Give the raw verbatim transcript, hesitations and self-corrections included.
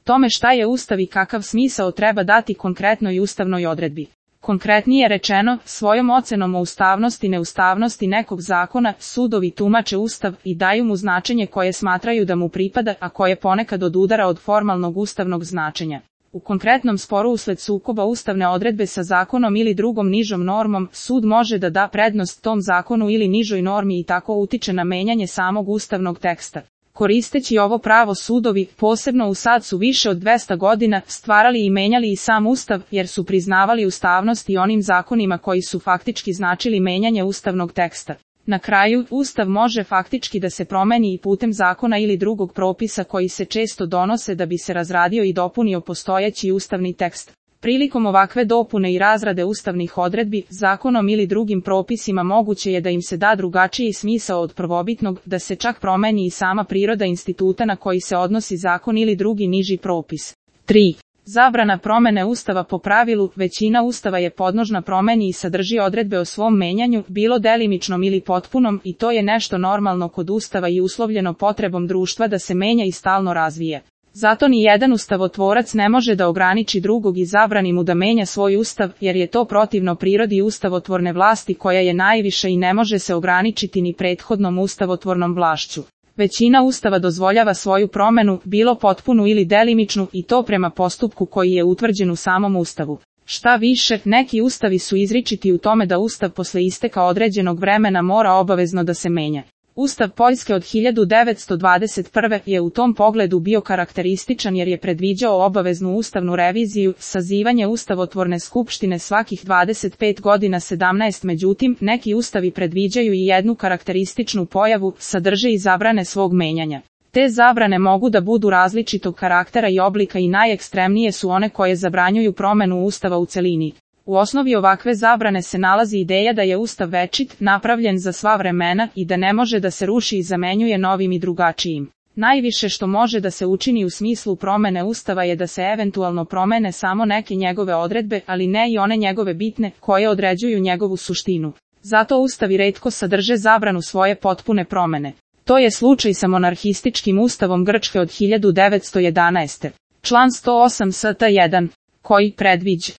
tome šta je Ustav i kakav smisao treba dati konkretnoj ustavnoj odredbi. Konkretnije rečeno, svojom ocenom o ustavnosti i neustavnosti nekog zakona, sudovi tumače Ustav i daju mu značenje koje smatraju da mu pripada, a koje ponekad odudara od formalnog ustavnog značenja. U konkretnom sporu usled sukoba ustavne odredbe sa zakonom ili drugom nižom normom, sud može da da prednost tom zakonu ili nižoj normi i tako utiče na menjanje samog ustavnog teksta. Koristeći ovo pravo sudovi, posebno u sad su više od dvesta godina, stvarali i menjali i sam Ustav, jer su priznavali ustavnost i onim zakonima koji su faktički značili menjanje ustavnog teksta. Na kraju, Ustav može faktički da se promeni i putem zakona ili drugog propisa koji se često donose da bi se razradio i dopunio postojeći ustavni tekst. Prilikom ovakve dopune i razrade ustavnih odredbi, zakonom ili drugim propisima moguće je da im se da drugačiji smisao od prvobitnog, da se čak promeni i sama priroda instituta na koji se odnosi zakon ili drugi niži propis. tri. Zabrana promene Ustava. Po pravilu, većina Ustava je podložna promeni i sadrži odredbe o svom menjanju, bilo delimičnom ili potpunom, i to je nešto normalno kod Ustava i uslovljeno potrebom društva da se menja i stalno razvije. Zato ni jedan ustavotvorac ne može da ograniči drugog i zabrani mu da menja svoj ustav, jer je to protivno prirodi ustavotvorne vlasti koja je najviša i ne može se ograničiti ni prethodnom ustavotvornom vlašću. Većina Ustava dozvoljava svoju promenu, bilo potpunu ili delimičnu, i to prema postupku koji je utvrđen u samom Ustavu. Šta više, neki ustavi su izričiti u tome da Ustav posle isteka određenog vremena mora obavezno da se menja. Ustav Poljske od hiljadu devetsto dvadeset prve. je u tom pogledu bio karakterističan jer je predviđao obaveznu ustavnu reviziju, sazivanje ustavotvorne skupštine svakih dvadeset pet godina sedamnaest. Međutim, neki ustavi predviđaju i jednu karakterističnu pojavu, sadrže i zabrane svog menjanja. Te zabrane mogu da budu različitog karaktera i oblika i najekstremnije su one koje zabranjuju promenu Ustava u celini. U osnovi ovakve zabrane se nalazi ideja da je Ustav večit, napravljen za sva vremena i da ne može da se ruši i zamenjuje novim i drugačijim. Najviše što može da se učini u smislu promene Ustava je da se eventualno promene samo neke njegove odredbe, ali ne i one njegove bitne, koje određuju njegovu suštinu. Zato Ustavi retko sadrže zabranu svoje potpune promene. To je slučaj sa monarhističkim Ustavom Grčke od hiljadu devetsto jedanaeste. Član sto osam st jedan, koji predviđa